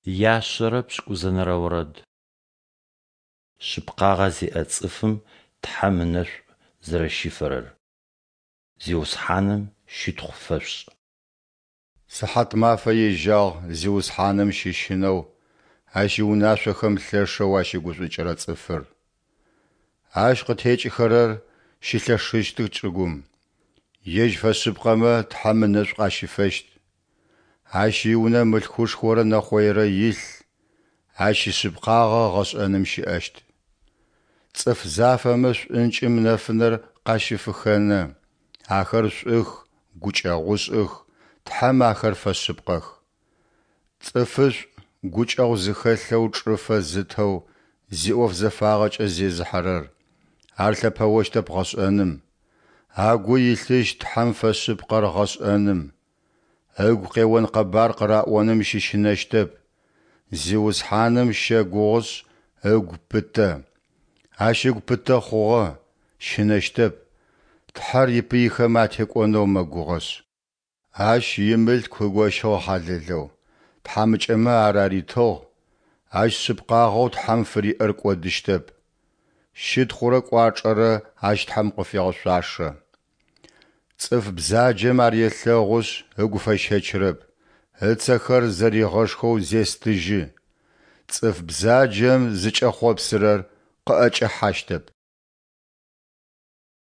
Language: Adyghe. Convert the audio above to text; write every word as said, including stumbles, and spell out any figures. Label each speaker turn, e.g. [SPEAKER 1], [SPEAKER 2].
[SPEAKER 1] Яшъэрэ пшӏыкӏузэнэрэ орэд. Шъыпкъагъэ зиӏэ цӏыфым Тхьэм ынэшӏу зэрэщифэрэр Зиусхьаным щытхъу фэшъушӏ.
[SPEAKER 2] Сыхьатмафэ ежьагъ Зиусхьаным щыщынэу, Ащ иунашъохэм лъэшэу ащыгушӏукӏырэ цӏыфыр. Ащ къытекӏыхэрэр щылъэшыщтых чӏыгум, ежь фэшъыпкъэмэ Тхьэм ынэшӏу къащифэщт. Ащ иунэ мылъкушхорэ нэхъойрэ илъ, ащ ишъыпкъагъэ гъэшӏэным щыӏэщт. Цӏыф зафэмэ шӏункӏым нэфынэр къащыфыхенэ, ахэр шӏух, гукӏэгъушӏых, Тхьэм ахэр фэшъыпкъэх. Цӏыфышӏу, гукӏэгъу зыхэлъэу чӏыфэ зытэу, зиӏоф зэфагъэкӏэ зезыхьэрэр, ар лъэпэощтэп гъэшӏэным. Агу илъыщт Тхьэм фэшъыпкъэр гъэшӏэным. Ыгу къеон къэбар къыраӏоным щыщынэщтэп, Зиусхьаным щэгугъышъ ыгу пытэ. Ащ ыгу пытэ хъугъэ, щынэщтэп, Тхьэр ипыйхэм атекӏонэу мэгугъэшъ. Ащ имылъку ыгощыгъ хьалэлэу, тхьамыкӏэмэ ар аритыгъ, ащ шъыпкъагъэу Тхьэм фыриӏэр кӏодыщтэп. Щытхъурэ кӏуачӏэрэ ащ Тхьэм къыфегъэшъуашэ. Цӏыф бзаджэм ар елъэгъушъ ыгу фэщэчырэп, ыцэхэр зэригъэшхэу зестыжьы. Цӏыф бзаджэм зыкӏэхъопсырэр къыӏэкӏэхьащтэп.